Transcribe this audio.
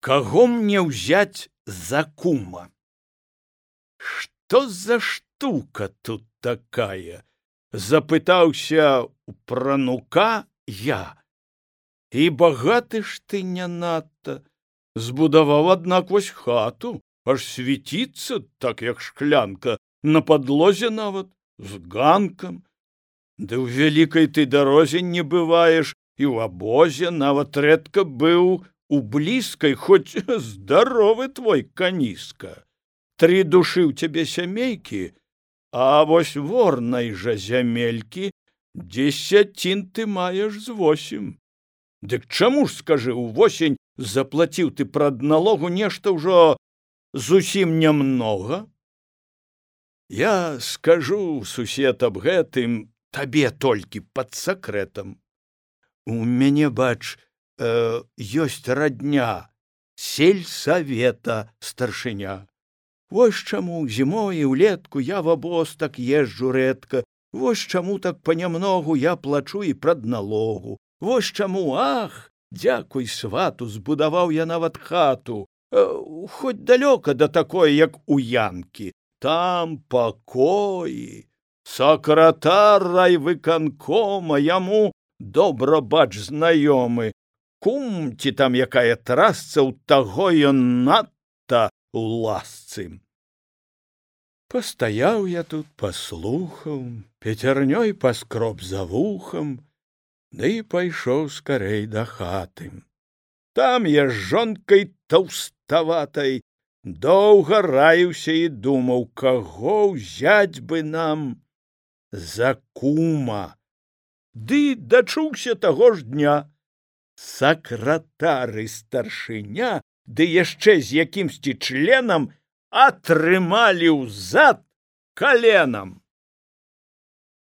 Каго мне ўзяць за кума? Што за штука тут такая? Запытаўся у пранука я. І багаты ж ты не надта. Збудаваў, аднак, вось хату, аж свіціцца, так як шклянка, на падлозе нават, з ганкам. Ды ў вялікай ты дарозе не бываеш, і ў абозе нават рэдка быў у блізкай, хоць здаровы твой каніска. 3 душы ў цябе сямейкі, а вось ворнай жа зямелькі 10 ты маеш з 8. Дык чаму ж, скажы, увосень заплаціў ты прадналогу нешта ўжо зусім нямнога? Я скажу, сусед, аб гэтым табе толькі пад сакрэтам. У мяне, бач, ёсць радня, сельсавета старшыня. Вось чаму зімой і ўлетку я в абоз так езджу рэдка, вось чаму так панямногу я плачу і прадналогу, вось чаму, ах, дзякуй свату, збудаваў я нават хату, хоць далёка да такой, як у Янкі, там пакоі, сакратар райвыканкома, яму добра, бач, знаёмы, кум ці там якая трасца, ў таго ён надта у ласцы. Пастаяў я тут, паслухаў, пяцярнёй паскроб за вухам, ды пайшоў скарэй да хаты. Там я з жонкай таўставатай доўга раіўся і думаў, каго ўзяць бы нам за кума. Ды дачуўся таго ж дня. Сакратар і старшыня, ды яшчэ з якімсьці членам, атрымалі ўзад каленам.